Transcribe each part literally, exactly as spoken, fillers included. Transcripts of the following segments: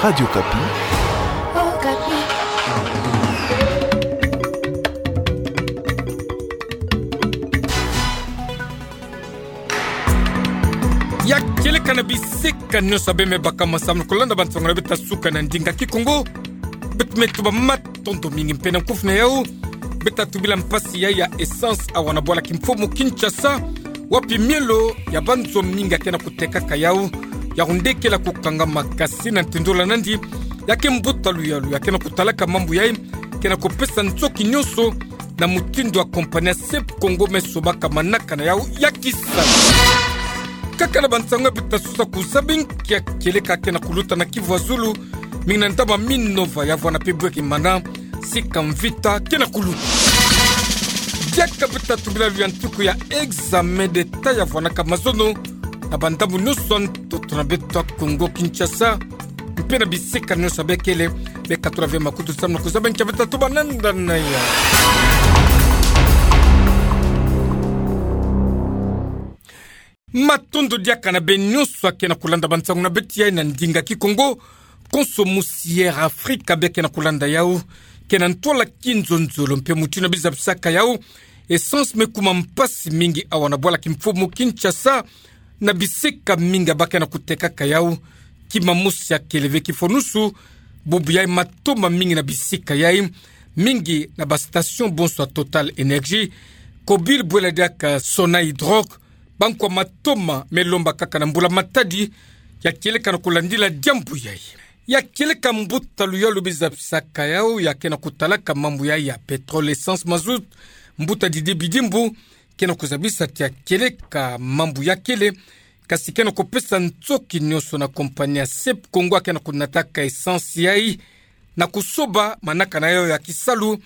Radio Okapi. Ya kieleka na bisika nyonso abe me baka masamu na kulanda bansango na beto ya suka na ndinga Kikongo. Beto me tuba matondo mingi mpe na kufi na yau. Beto tubila mpasi ya, ya essence awa na bwala kimfumu Kinshasa, wapi mielo ya banzo mingi ya ke na kutekaka yau. Yau nde kele kukanga makasi na ntindola nandi, ya ke mbuta luyalu ya ke na kutalaka mambu yai ke na kupesa ntoki nyonso na mutindu ya compagnie ya Sep Congo me sobaka manaka na yau ya kisalu. Kaka na bansango ya beto sosa kuzaba nki ya kieleka ke na kuluta na Kivu ya Zulu, mingi na ndambu ya Minova ya vwanda mpe bweke mana, sika mvita ke na kuluta. Diaka beto tubila luyantiku ya examen d'Etat ya vwandaka mazono na bandambu nyonso ya ntoto na beto ya Kongo Kinshasa, mpe na bisika nyonso abe kele. Beto katula ve makutu samu na kuzaba nki ya beto tuba na nda na yau. Matondo diaka na beno nyonso ya ke na kulanda bansango na beto yai na ndinga Kikongo, konso musi Air Afrique abe ke na kulanda yau, ke na ntwala kinzonzolo mpe mutindu na bizabisaka yau. Essence me kuma mpasi mingi awa na bwala kimfumu Kinshasa, na bisika mingi abaku ke na kutekaka yau. Kima mosi ya kele ve kifonusu, bubu yai matoma mingi na bisika yai, mingi na ba station bonso ya Total Energie, Cobil bwela diaka Sonahydroit, bankwa matoma me lomba kaka na mbula matadi, ya kieleka na kulandila diambu yai. Ya kieleka mbuta luyalu bizabisaka yau ya ke na kutalaka mambu yai ya pétrole, essence, mazout, mbuta Didier Bidimbu, ke na kuzabisa ti ya kieleka mambu ya kele, kasi ke na kupesa ntoki nyonso na compagnie ya Sep Congo ya ke na kunataka essence yai, na kusoba manaka na yau ya kisalu,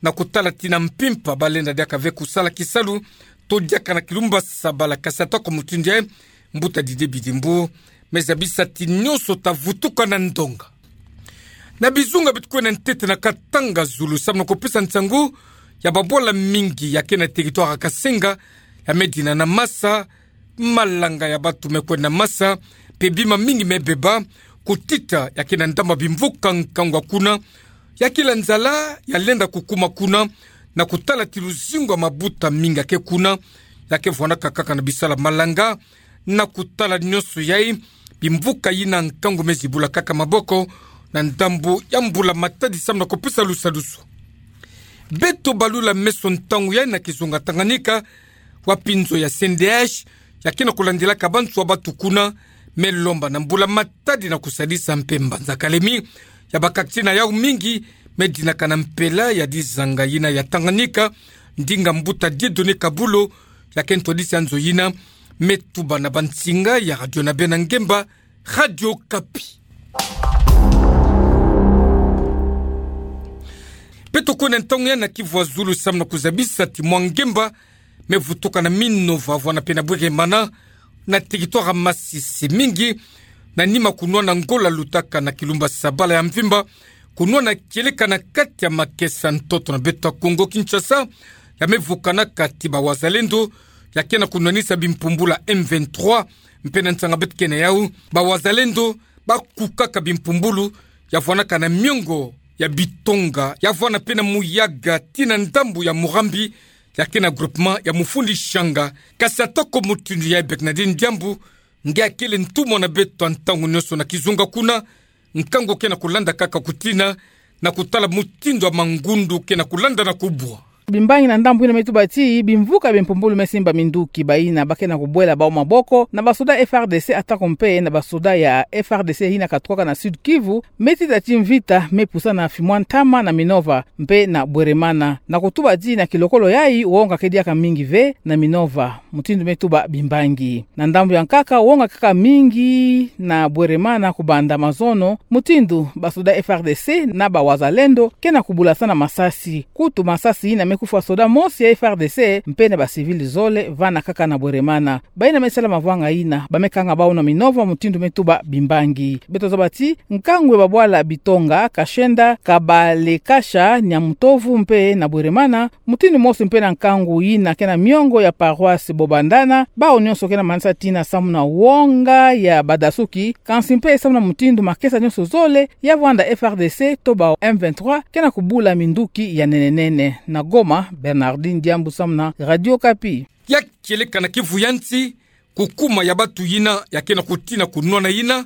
na kutala ti na mpimpa balenda diaka ve kusala kisalu, to diaka na kilumbu ya sabala, kasi atako mutindu yai, mbuta Didier Bidimbu me zabisa ti nyonso ta vutuka na ndonga. Na bizunga beto kwe na ntete na katanga zulu samu na kupesa nsangu ya babwala mingi ya ke na territoire ya Kasenga, ya me dina na masa, malanga ya bantu me kwenda masa, mpe bima mingi me beba, kutita ya ke na ndambu ya bimvuka nkangu ya kuna, ya kila nzala ya lenda kukuma kuna, na kutala ti luzingu ya mabuta mingi ya ke kuna, ya ke vwandaka kaka na bisalu ya malanga, na kutala nyonso yai, bimvuka yina nkangu me zibula kaka maboko, na ndambu ya mbula matadi samu na kupesa lusadusu. Beto balula meso ntangu yai na kizunga Tanganyika, wapi nzo ya C N D H ya ke na kulandilaka banso ya bantu kuna, me lomba na mbula matadi na kusadisa mpe mbanza kalemi ya bakakiti na yau mingi, me dinaka na mpela ya dizanga yina ya Tanganyika, ndinga mbuta Dieudonné Kabulo, ya ke ntwadisi ya nzo yina, me tuba na bansinga ya radio na beno ya ngemba, Radio Okapi. Beto kwe na ntangu yai na Kivu ya Zulu samu na kuzabisa ti mwa ngemba me vutuka na Minova, vwanda mpe na Bweremana, na territoire ya Masisi, mingi na nima kunwana Ngola lutaka na kilumbu ya sabala ya mvimba, kunwana kieleka na kati ya makesa ntoto na beto ya Kongo Kinshasa, ya me vukanaka ti ba Wazalendo ya ke na kunwanisa bimpumbulu ya M vingt-trois, mpe na nsanga beto ke na yau, ba Wazalendo bakukaka bimpumbulu ya vwandaka na miongo ya bitonga, ya vwanda mpe na muyaga tii na ndambu ya Murambi, ya ke na groupement ya Mufundi Shanga. Kasi atako mutindu yai, bek na dini diambu nge akele ntumwa na beto ya ntangu nyonso na kizunga kuna, nkangu ke na kulanda kaka kutina, na kutala mutindu ya mangundu ke na kulanda na kubwa. Bimbangi na ndambu yina me tuba ti bimvuka bimpumbulu me simba minduki bayina ba ke na kubwela bawu maboko na basoda F R D C, atako mpe na basoda ya F R D C yina katukaka na Sud Kivu, me tita ti mvita me pusana fimwa ntama na Minova mpe na Bweremana. Na kutuba ti na kilokolo yai, wonga ke diaka mingi ve na Minova, mutindu me tuba bimbangi. Na ndambu ya nkaka, wonga kaka mingi na Bweremana kubanda mazono, mutindu basoda F R D C na ba Wazalendo ke na kubulasana masasi. Kutu masasi yina me Kufwa soda mosi ya F R D C mpe na ba civil zole vana kaka na Bweremana. Bayina me sala mavwanga yina, ba me kanga bau na minovo mutindu me tuba bimbangi. Beto zaba ti, nkangu ya babwala Bitonga, Kashenda, Kabalekasha, Nyamutovu mpe na Bweremana, mutindu mosi mpe na nkangu yina ke na miongo ya paroisse Bobandana, bau nionso ke na manisa tina samu na wonga ya badasuki, kansi mpe samu na mutindu makesa nionso zole ya vwanda F R D C to bau M vingt-trois ke na kubula minduki ya nene nene. Na Goma, Bernardine Diambu samu na Radio Okapi. Ya kieleka na kivu ya nsi, kukuma ya batu yina ya ke na kutina kunwana yina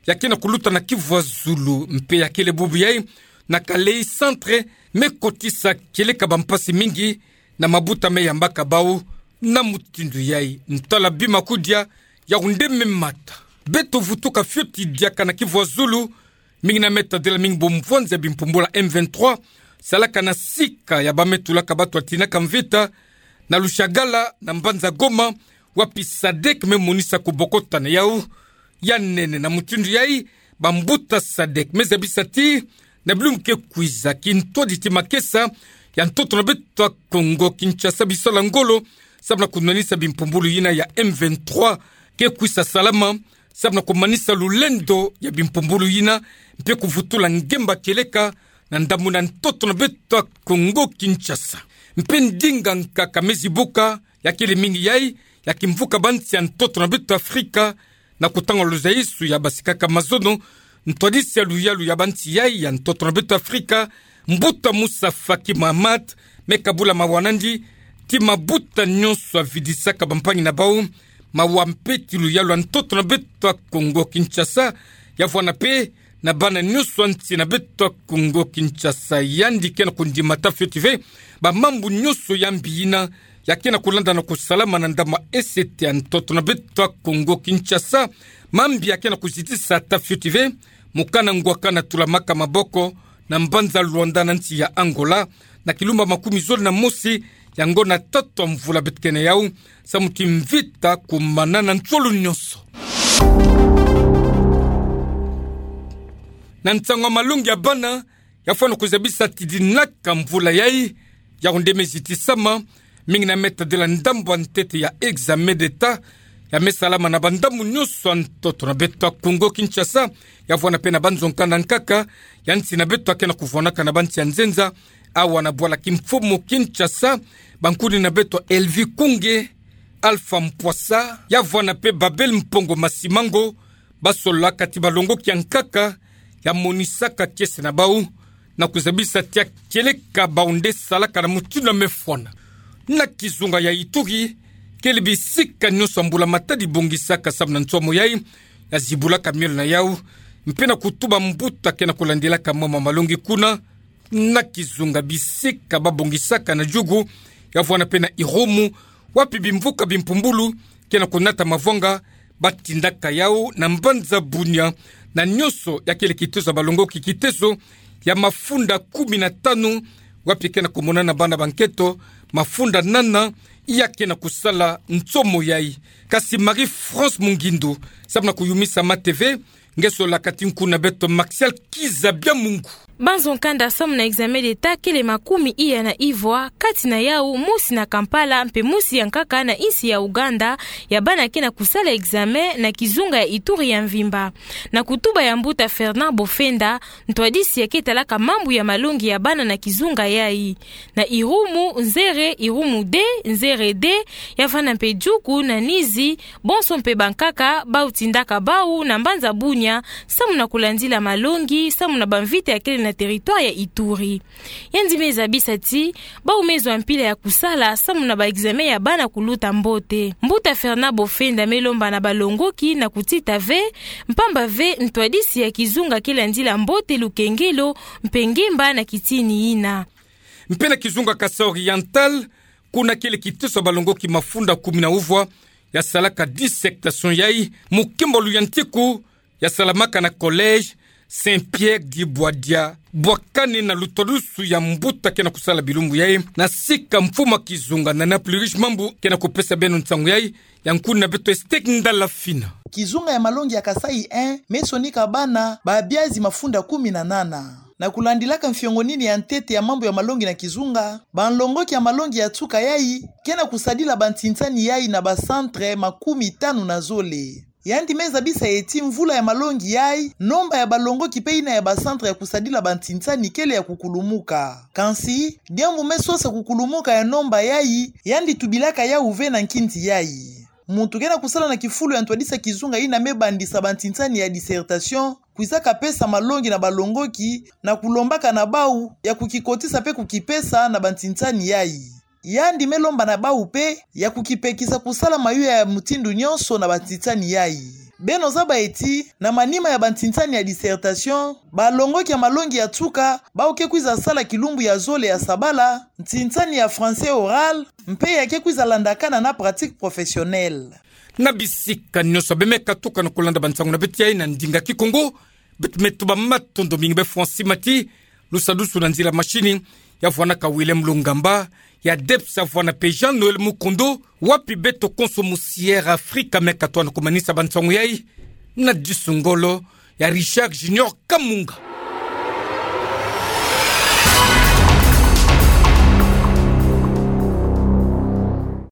ya ke na kuluta na Kivu ya Zulu mpe ya kele bubu yai na Kalehe Centre, me kotisa kieleka bampasi mingi na mabuta me yambaka bau na mutindu yai. Ntwala bima kudia, yawu nde me mata. Beto vutuka fioti diaka na Kivu ya Zulu, mingi na me tadila mingi bumvwanzi ya bimpumbulu ya M vingt-trois salaka na sika ya ba me tulaka batu ya tinaka mvita na Lushagala na mbanza Goma, wapi SADEC me monisa kubokotana yau ya nene. Na mutindu yai, bambuta SADEC me zabisa ti, na bilumbu ke kwiza, kintwadi ti makesa ya ntoto na beto ya Kongo Kinshasa bisala ngolo samu na kunwanisa bimpumbulu yina ya M vingt-trois ke kwisa salama samu na kumanisa lulendo ya bimpumbulu yina, mpe kuvutula ngemba kieleka na ndambu na ntoto na beto ya Kongo Kinshasa. Mpe ndinga nkaka me zibuka, ya kele mingi yai, ya kimvuka bansi ya ntoto na beto Afrika, na kutanga luzayisu ya basikaka mazono, ntwadisi ya luyalu ya bansi yai ya ntoto na beto Afrika, mbuta Moussa Faki Mahamat me kabula mawa nandi ti mabuta nionso ya vidisaka bampangi na bau mawa mpe ti luyalu ya ntoto na beto ya Kongo Kinshasa, ya vwanda mpe na bana nionso ya nsi na beto ya Kongo Kinshasa. Yandi ke na kundima ta fioti ve bamambu nionso ya mbi yina ya ke na kulanda na kusalama na ndambu ya esete ya ntoto na beto ya Kongo Kinshasa. Mambi ya ke na kuzitisa ta fioti ve, mokana ngwakana tulamaka maboko na mbanza Luanda na nsi ya Angola, na kilumba makumi zole na mosi, yango na tatu ya mvula beto ke na yau, samu ti mvita kumana na nsolo nionso. Na nsangu ya malongi ya bana, ya fwana kuzabisa ti dinaka mvula yai, yawu nde me zitisama, mingi na me tadila ndambu ya ntete ya examen d'État, ya me salama na bandambu nionso ya ntoto na beto ya Kongo Kinshasa, ya vwanda mpe na banzo nkanda nkaka ya nsi na beto ya ke na kuvwanaka na bansi ya nzenza, awa na bwala kimfumu Kinshasa, bankuni na beto Elvi Kunge, Alpha Mpwasa, ya vwanda mpe Babel Mpongo Masimango, basololaka ti balongoki ya nkaka ya monisaka kiese na bau, na kuzabisa ti ya kieleka bau nde salaka na mutindu ya me fwana. Na kizunga ya Ituri, kele bisika nionso ya mbula matadi bongisaka samu na nsomo yai, ya zibulaka miole na yau, mpe na kutuba mbuta ke na kulandilaka mo ma malongi kuna, na kizunga bisika ba bongisaka na Djugu, ya vwanda mpe na Irumu, wapi bimvuka bimpumbulu ke na kunata mavwanga, ba tindaka yau na mbanza Bunia, na nionso ya kele kitezo ya balongoki kitezo ya mafunda kumi na tanu, wapi ke na kumonana bana ba nketo mafunda nana ya ke na kusala nsomo yai. Kasi Marie-France Mungindu, samu na kuyumisa ma T V, nge sololaka ti nkuna beto Maxial Kiza Biamungu. Banzo nkanda samu na examen d'État kele makumi iya na ivwa, kati na yau mosi na Kampala, mpe mosi ya nkaka na insi ya Ouganda, ya bana ke na kusala examen na kizunga ya Ituri ya mvimba. Na kutuba ya mbuta Fernand Bofenda, ntwadisi ya ke talaka mambu ya malongi ya bana na kizunga yai. Na Irumu, Nzere, Irumu deux, Nzere deux, ya vwanda mpe Djugu na Nizi, bonso mpe bankaka bau tindaka bau na mbanza Bunia, samu na kulandila malongi samu na bamvita ya kele na territoire ya Ituri. Yandi me zabisa ti, bau me zwa mpila ya kusala samu na ba examen ya bana kuluta mbote. Mbuta Fernand Bofenda me lomba na balongoki na kutita ve, mpamba ve ntwadisi ya kizunga ke landila mbote lukengelo mpe ngemba na kitini yina. Mpe na kizunga Kasaï Oriental, kuna kele kiteso ya balongoki mafunda kumi na uvwa, ya salaka dissertation yai, mukembolo ya ntiku, ya salamaka na collège Saint-Pierre du Bois-d'Ia, bwakani na lutwadusu ya mbuta ke na kusala bilumbu yai, na sika mfumu ya kizunga Nana Pluriche Mambu ke na kupesa beno nsangu yai, ya nkuna beto Estek Ndala Fina. Kizunga ya malongi ya Kasaï un, me sonika bana, babiazi mafunda kumi na nana. na kulandilaka mfiongo nini ya ntete ya mambu ya malongi na kizunga, banlongoki ya malongi ya tuka yai ke na kusadila bantintani yai na bacentre makumi tanu na zole. Yandi me zabisa eti mvula ya malongi yai, nomba ya balongoki pe ina ya bacentre ya kusadila bantintani kele ya kukulumuka. Kansi, diambu me sosa kukulumuka ya nomba yai, yandi tubilaka yau ve na nkindi yai. Muntu ke na kusala na kifulu ya ntwadisa kizunga ina me bandisa bantintani ya dissertation, kwizaka pesa malongi na balongoki, na kulombaka na bau ya kukikotisa pe kukipesa na bantintani yai. Yandi me lomba na bau pe ya kukipekisa kusala mayuya ya mutindu nyonso na bantintani yai. Beno zaba eti, na manima ya bantintani ya dissertation, balongoki ya malongi ya tuka, bau ke kwiza sala kilumbu ya zole ya sabala, ntintani ya français oral, mpe ya ke kwiza landakana na pratique professionnelle. Na bisika nyonso be me katuka na kulanda bansangu na beto yai na ndinga Kikongo, beto me tuba matondo mingi be Francis Mati, lusadusu na nzila mashini, ya vwanaka Willem Lungamba, ya ADEPS ya vwana pe Jean Noël Mukondo, wapi beto konso musi Air Afrika me katuka na kumanisa bansangu yai, na disu ngolo, ya Richard Junior Kamunga.